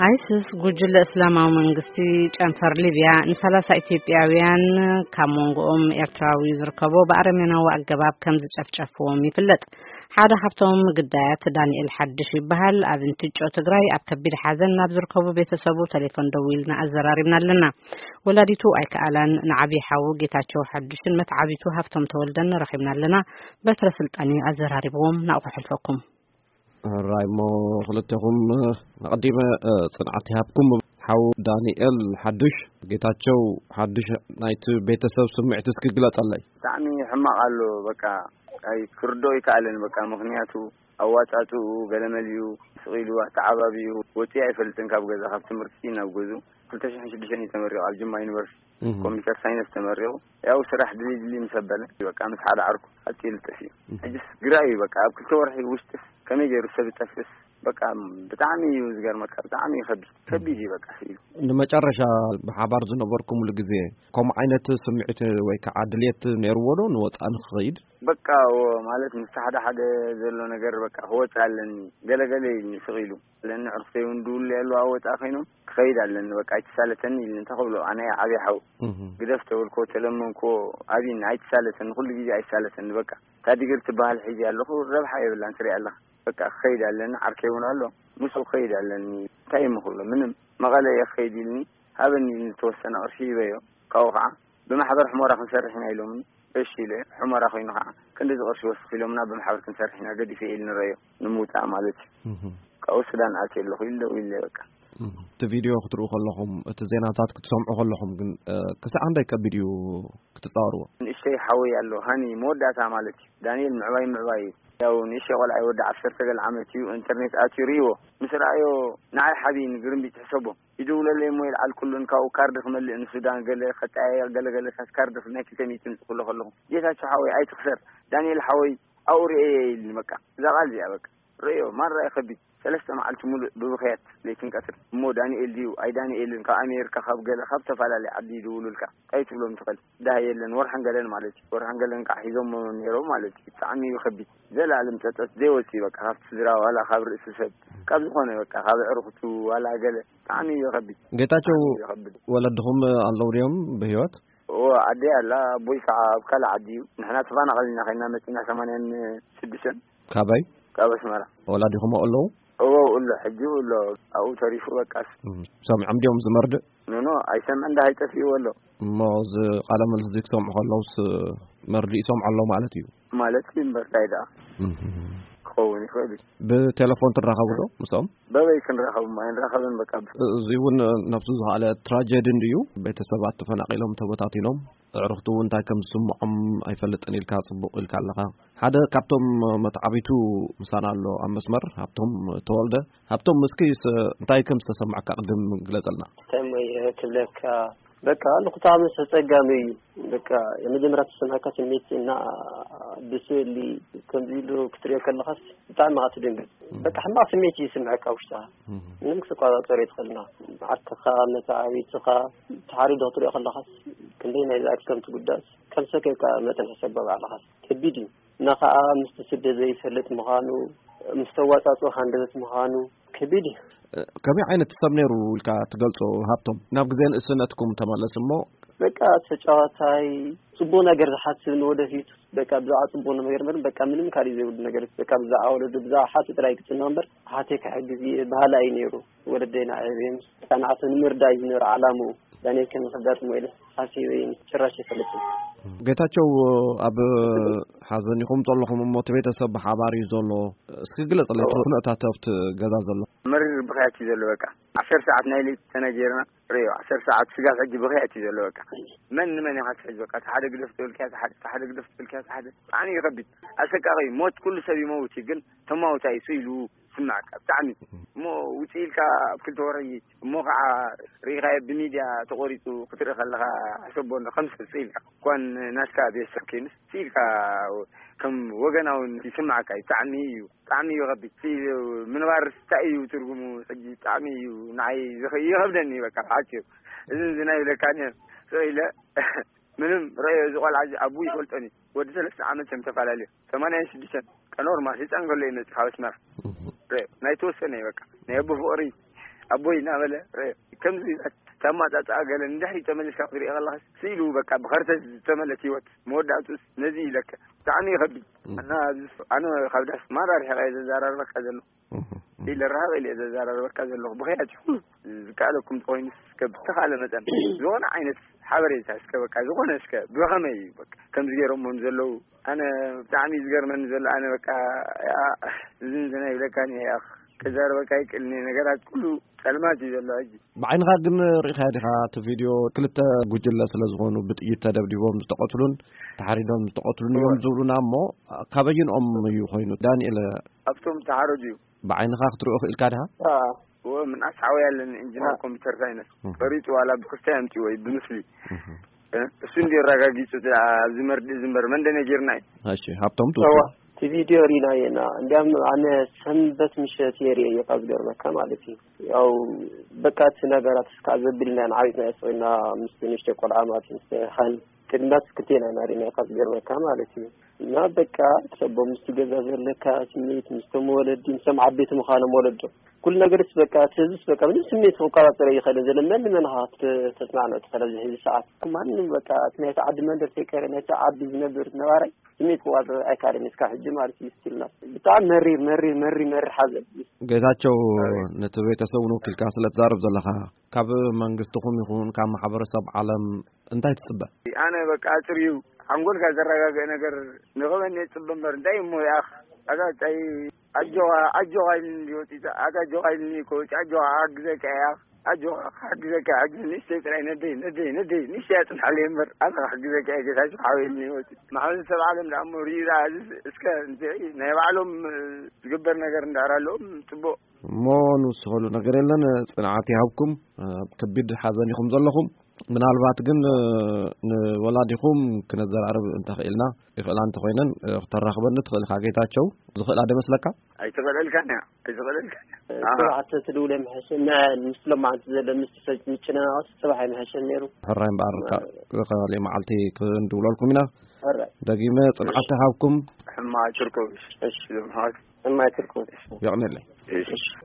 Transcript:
ኣይስስ ጉጅለ እስላማዊ መንግስቲ ጨንፈር ሊብያ ንሰላሳ ኢትዮጵያውያን ካብ መንጎኦም ኤርትራዊ ዝርከቦ ብኣረሜናዊ ኣገባብ ከም ዝጨፍጨፍዎም ይፍለጥ። ሓደ ካብቶም ግዳያት ዳንኤል ሓድሽ ይበሃል። ኣብ እንትጮ ትግራይ ኣብ ከቢድ ሓዘን ናብ ዝርከቡ ቤተሰቡ ቴሌፎን ደዊልና ኣዘራሪብና ኣለና። ወላዲቱ ኣይከኣላን፣ ንዓብዪ ሓዉ ጌታቸው ሓድሽን መትዓቢቱ ሃብቶም ተወልደን ረኺብና ኣለና። በትረ ስልጣን እዩ ኣዘራሪብዎም። ናብኡ ክሕልፈኩም። ራይሞ፣ ክልቴኹም ኣቐዲመ ጽንዓት ይሃብኩም። ሓው ዳንኤል ሓድሽ፣ ጌታቸው ሓድሽ፣ ናይቲ ቤተሰብ ስምዒት እስኪ ግለጸለይ። ብጣዕሚ ሕማቕ ኣሎ። በቃ ኣይ ክርዶ ይከኣልን። በቃ ምኽንያቱ ኣዋጻጽኡ ገለመሊኡ ስቕ ኢሉ ኣተዓባቢኡ ወጺኡ ኣይፈልጥን ካብ ገዛ፣ ካብ ትምህርቲ ናብ ገዙ። ክልተ ሽሕን ሽዱሽተን እዩ ተመሪቑ ኣብ ጅማ ዩኒቨርሲቲ ኮምፒውተር ሳይንስ ተመሪቑ። ያው ስራሕ ድልይ ድልይ ምስ ኣበለ በቃ ምስ ሓደ ዓርኩ ኣጽዩ ልጥፍ እዩ። ሕጅስ ግራ እዩ በቃ ኣብ ክልተ ወርሒ ውሽጥስ ከመይ ገይሩ ሰብ ይጠፍስ? በቃ ብጣዕሚ እዩ ዝገርመካ፣ ብጣዕሚ እዩ ከቢድ፣ ከቢድ እዩ በቃ ስኢሉ። ንመጨረሻ ብሓባር ዝነበርኩምሉ ግዜ ከምኡ ዓይነት ስምዒት ወይ ከዓ ድልየት ነይርዎ ዶ ንወፃኢ ንክኸይድ? በቃ እዎ፣ ማለት ምስ ሓደ ሓደ ዘሎ ነገር በቃ ክወፅእ ኣለኒ ገለገለ ኢልኒ ስቕ ኢሉ። ለኒ ዕርፍተይ እውን ድውሉ ያሉ ኣወፃ ኮይኖም ክኸይድ ኣለኒ በቃ ኣይተሳለተኒ ኢልኒ እንተ ክብሎ ኣነ ዓብዪ ሓው ግደፍ ተበልኮ ተለመንኮ። ኣብይኒ ኣይተሳለተኒ ኩሉ ግዜ ኣይሳለተኒ በቃ። ታዲግር ትበሃል ሒዚ ኣለኹ ረብሓ የብላን ትሪኢ ኣለኻ። በቃ ክኸይድ ኣለኒ ዓርከይ እውን ኣሎ ምስኡ ክኸይድ ኣለኒ። እንታይ እሞ ክብሎ ምንም። መቐለ እየ ክኸይድ ኢልኒ ሃበኒ ኢልኒ ተወሰነ ቅርሺ ይበዮ። ካብኡ ከዓ ብማሕበር ሕሞራ ክንሰርሕ ኢና ኢሎምኒ። እሺ ኢለ። ሕሞራ ኮይኑ ከዓ ክንዲ እዚ ቅርሺ ወስኽ ኢሎምና ብማሕበር ክንሰርሕ ኢና ገዲፈ ኢል ንረዮ ንምውፃእ ማለት እዩ። ካብኡ ሱዳን ኣትየ ኣለኹ ኢሉ ደው ኢለ በቃ። እቲ ቪድዮ ክትርእዩ ከለኹም እቲ ዜናታት ክትሰምዑ ከለኹም ግን ክሳዕ ክንደይ ከቢድ እዩ ክትፃወርዎ? ንእሽተይ ሓወይ ኣሎ ሃኒ መወዳእታ ማለት እዩ። ዳንኤል ምዕባይ ምዕባይ እዩ። ያው ንእሽተይ ቆልዓ ወዲ ዓሰርተ ገለ ዓመት እዩ። ኢንተርኔት ኣትዩ ርእይዎ ምስ ረኣዮ ንዓይ ሓብይኒ ግርምቢጥ ሕሰቦ። ይድውለለይ እሞ ይልዓል ኩሉን ካብኡ ካርድ ክመልእ ንሱዳን ገለ ከጠያየቕ ገለገለታት ካርድ ናይ ክልተ ሚእቲ ምጽእ ክብሎ ከለኹ ጌታቸው ሓወይ ኣይትኽሰር ዳንኤል ሓወይ ኣብኡ ርእየየ ኢልኒ በቃ እዛ ቃል እዚኣ በቃ ርእዮ ማራ እዩ ከቢድ ሰለስተ መዓልቲ ሙሉእ ብብኽያት ለይትን ቀትር እሞ ዳንኤል ድዩ ኣይ ዳንኤልን ካብ ኣሜሪካ ካብ ገለ ካብ ዝተፈላለየ ዓዲ ይድውሉልካ እንታይ ትብሎም ትኽእል ዳህ የለን ወርሓን ገለን ማለት እዩ ወርሓን ገለን ከዓ ሒዞሞ ነይሮም ማለት እዩ ብጣዕሚ እዩ ከቢድ ዘላለም ጸጸት ዘይወፅእ በቃ ካብቲ ስድራ ዋላ ካብ ርእሲ ሰብ ካብ ዝኾነ በቃ ካብ ኣዕሩኽቱ ዋላ ገለ ብጣዕሚ እዩ ከቢድ። ጌታቸው፣ ብጣዕሚ እዩ ከቢድ። ወለድኹም ኣለዉ ድዮም ብህይወት? እዎ ኣደይ ኣላ ኣቦይ ከዓ ኣብ ካልእ ዓዲ እዩ። ንሕና ተፈናቐልና ከይና መፂና ሰማንያን ሽዱሽተን ካበይ? ካብ ኣስመራ። ወላዲኹም ኣለዉ? እዎ ኣሎ ሕጂ ኣሎ ኣብኡ ተሪፉ በቃስ። እም፣ ሰሚዖም ድዮም ዝመርድእ? ኖኖ ኣይሰምዕን ዳሃይ ጠፊእዎ ኣሎ። እሞ እዚ ቃለ መልስ እዚ ክሰምዑ ከለውስ መርድእ ይሰምዑ ኣለዉ ማለት እዩ? ማለት እዩ እምበር እንታይ ደኣ እም። ክኸውን ይኽእል እዩ። ብቴሌፎን ትራኸቡ ዶ ምስኦም? በበይ ክንራኸቡ ኣይንራኸብን በቃ። እዚ እውን ነብሱ ዝኸኣለ ትራጀዲ እንድዩ። ቤተሰባት ተፈናቒሎም ተበታቲኖም ኣዕሩኽቱ እውን እንታይ ከም ዝስምዖም ኣይፈልጥን ኢልካ ጽቡቕ ኢልካ ኣለኻ። ሓደ ካብቶም መትዓቢቱ ምሳና ኣሎ ኣብ መስመር ሃብቶም ተወልደ። ሃብቶም እስኪ እንታይ ከም ዝተሰማዕካ ቅድም ግለጸልና። እንታይ እሞ እየ ክብለካ በቃ ንኩታምስ ኣጸጋሚ እዩ። በቃ የመጀመርያ ተሰማዕካ ስሜት እና ብስእሊ ከምዚ ኢሉ ክትሪኦ ከለኻስ ብጣዕሚ ኢኻ ትድንግጽ። በቃ ሕማቕ ስሜት እዩ ዝስምዐካ ውሽጥኻ። ምንም ክትቆጻጸሮ ኣይትኽእልን ኢኻ። ዓርክኻ መተዓቢትኻ ተሓሪዱ ክትሪኦ ከለኻስ ክንደይ ናይ ዝኣክል ከም ትጉዳእስ ከም ሰከካ መጠን ሕሰቦ ባዕልኻስ ከቢድ እዩ። እና ኸኣ ምስቲ ስደት ዘይፈልጥ ምዃኑ ምስ ተዋጻጽኦ ሃንደበት ምዃኑ ከቢድ እዩ። ከመይ ዓይነት ሰብ ነይሩ ኢልካ ትገልጾ ሃብቶም? ናብ ግዜ ንእስነትኩም ተመለስ እሞ። በቃ ተጫዋታይ ጽቡቕ ነገር ዝሓስብ ንወደፊት በቃ ብዛዕባ ጽቡቕ ነገር እምበር በቃ ምንም ካልእ ዘይብሉ ነገር በቃ ብዛዕባ ወለዱ ብዛዕባ ሓቱ ጥራይ ክጽና እምበር ሓተይ ክሕግዝ እየ በሃላይ እዩ ነይሩ። ወለደይ ንዓይ በይኑ ህጻናት ንምርዳእ እዩ ዝነበረ ዓላምኡ። ዳንኤል ከመይ ከጋጥሞ ኢለ ሓሲበ እየ ጭራሽ ኣይፈልጥን። ጌታቸው ኣብ ሓዘን ኢኹም ዘለኹም እሞ እቲ ቤተሰብ ብሓባር እዩ ዘሎ። እስኪ ግለጽለይ እቲ ኩነታት ኣብቲ ገዛ ዘሎ። መሪር ብኽያት እዩ ዘሎ በቃ። ዓሰርተ ሰዓት ናይ ለይቲ ተነጊርና ርእዮ ዓሰርተ ሰዓት ስጋብ ሕጂ ብኽያት እዩ ዘሎ በቃ። መን ንመን ኢኻ ትሕዝ በቃ። እቲ ሓደ ግደፍ ትብል ክያ እቲ ሓደ፣ እቲ ሓደ ግደፍ ትብል ክያ እቲ ሓደ። ብጣዕሚ እዩ ከቢድ። ኣሰቃቒ እዩ። ሞት ኩሉ ሰብ ይመውት እዩ ግን ተማውታይ እሱ ኢሉ ስማዕካ ብጣዕሚ እሞ ውፅእ ኢልካ ኣብ ክልተ ወርሒ እሞ ከዓ ርኢኻዮ ብሚድያ ተቆሪፁ ክትርኢ ከለካ ሕሰቦ እንዶ ከም ሰብ ስኢልካ እኳን ናትካ ቤተሰብ ከይኑስ ስኢልካ ከም ወገናውን ይስማዓካ እዩ ብጣዕሚ እዩ ብጣዕሚ እዩ ከቢድ ስኢሉ ምንባር እንታይ እዩ ትርጉሙ ሕጂ ብጣዕሚ እዩ ንዓይ ዝኸ- ይኸብደኒ በቃ ብሓፂሩ እዚ እዚ ናይ ብለካ እኒሀ ስቕ ኢለ ምንም ረዮ እዚ ቆልዓ እዚ ኣቡ ይፈልጦን እዩ ወዲ ሰለስተ ዓመት እዮም ተፈላለዩ ሰማንያን ሽዱሽተን ቀኖርማል ህፃን ከሎ እዩ መፅእ ካብ ኣስመራ ረ ናይ ተወሰነ እዩ በቃ ናይ ኣቦ ፍቕሪ ኣቦይ እናበለ ርእ። ከምዚ ተማጣጣ ገለ ንድሕሪ ተመሊስካ ክትሪኦ ከለኻስ ስኢሉ በቃ ብኸርተት ዝተመለት ህይወት መወዳእቱስ ነዚ ኢለካ። ብጣዕሚ ይኸብድ። እና ኣብዚ ኣነ ካብ ዳስ ማራ ርሒቐ እየ ዘዘራርበካ ዘለኹ። ኢለ ርሕቕ ኢለ እየ ዘዘራርበካ ዘለኹ። ብኸያት ይኹን ዝከኣለኩም ተኾይኑ እስከ ብተኻለ መጠን ዝኾነ ዓይነት ሓበሬታ እስከ በቃ ዝኾነ እስከ ብኸመይ እዩ በቃ ከምዚ ገይሮሞም ዘለዉ። ኣነ ብጣዕሚ እዩ ዝገርመኒ ዘሎ። ኣነ በቃ ያ ዝንዝና ይብለካን እየ። ከዛርበካ ይክእልኒ ነገራት ኩሉ ጸልማት እዩ ዘሎ ሕጂ። ብዓይንኻ ግን ርኢኻ ዲኻ እቲ ቪድዮ? ክልተ ጉጅለ ስለ ዝኾኑ ብጥይት ተደብዲቦም ዝተቐትሉን ተሓሪዶም ዝተቐትሉን እዮም ዝብሉና እሞ ካበይንኦም እዩ ኮይኑ? ዳንኤል ኣብቶም ተሓረዱ እዩ። ብዓይንኻ ክትሪኦ ክእልካ ዲኻ? እዎ ምንኣስ ሓወይ ኣለኒ ኢንጂነር ኮምፒተር ሳይንስ። ቀሪጹ ዋላ ብክስታይ ኣምጺዎ እዩ ብምስሊ። እሱ እንዲ ኣረጋጊጹ ኣብዚ መርድእ ዝንበር መን ደነጊርና እዩ። እሺ ሃብቶም እዋ ትውስድ። እቲ ቪድዮ ሪናዮ ኢና። እንዲያም ኣነ ሰንበት ምሸት እየ ርእየዮ ካብ ዝገርመካ ማለት እዩ። ያው በቃ እቲ ነገራት እስካ ዘብልና ኢና ዓቢጥና እየ ስቕ ኢልና ምስ ንእሽተይ ቆልዓ ማለት እዩ ምስ ሃኒ ቅድሚያ ስክልቴና ኢና ሪናዮ ካብ ዝገርመካ ማለት እዩ። እና በቃ ሰቦ ምስቲ ገዛ ዘለካ ስሜት ምስቶም ወለዲ ምስቶም ዓበይቲ ምዃኖም ወለዶ ኩሉ ነገርስ በቃ እቲ ህዝብስ በቃ ምንም ስሜት ክቆጻጸር ይኸእልን ዘሎ መን ንመን ኢኻ ተስማዕኖ ትኸእል ኣብዚ ሕዚ ሰዓት ማንም በቃ እቲ ናይቲ ዓዲ መንደር ተይቀረ ናይቲ ዓዲ ዝነብር ነባራይ ስሜት ክቆጻጸር ኣይካልን እስካ ሕጂ ማለት እዩ ስቲልና ብጣዕሚ መሪር መሪር መሪር መሪር ሓዘን። ጌታቸው ነቲ ቤተሰብ ንወኪልካ ስለ ትዛረብ ዘለኻ ካብ መንግስትኹም ይኹን ካብ ማሕበረሰብ ዓለም እንታይ ትጽበ? ኣነ በቃ ኣጽርዩ ሓንጎልካ ዘረጋግእ ነገር ንኽበኒ እጽበ እምበር እንታይ እሞ ይኣኽ ኣታ ታይ ኣጆኻ ኣጆኻ ኢልኒ እንዲ ወጺእካ ኣታ ኣጆኻ ኢልኒ እኮ ወጺእ ኣጆኻ ክሓግዘካ እየ ኣጆኻ ክሓግዘካ እየ ሕጂ ንእሽተይ ጥራይ ነደይ ነደይ ነደይ ንእሽተይ ኣጽንሓለይ እምበር ኣታ ክሕግዘካ እየ ጌታቸው ሓወይ ኢልኒ ወጺእ ማሕበረሰብ ዓለም ደኣ እሞ ሪኡ ደኣ እዚስ እስከ እንታይ ናይ ባዕሎም ዝግበር ነገር እንድሕር ኣለዎም ጽቡቕ እሞ ንውስኸሉ ነገር የለን። ጽንዓት ይሃብኩም። ኣብ ከቢድ ሓዘን ኢኹም ዘለኹም። ምናልባት ግን ንወላዲኹም ክነዘራርብ እንተኽኢልና ይኽእላ እንተኾይነን ክተራኽበኒ ትኽእል ኢኻ ጌታቸው። ዝኽእላ ዶ ይመስለካ? ኣይትኽእለልካን እያ ኣይትኽእለልካን እያ። ኣሃ። ጽባሕ ተትድውል የምሐሸ ምስሎም መዓንቲ ዘሎ ምስ ምጭንናቕስ ጽባሕ የምሐሸ ነይሩ። ሕራይ እምበኣር ካልእ መዓልቲ ክንድውለልኩም ኢና። ሕራይ። ደጊመ ጽንዓት ይሃብኩም። ሕማቕ ትርከቡ። እሺ። ሕማቕ። ሕማቕ ትርከቡ። የቕንየለይ። እሺ።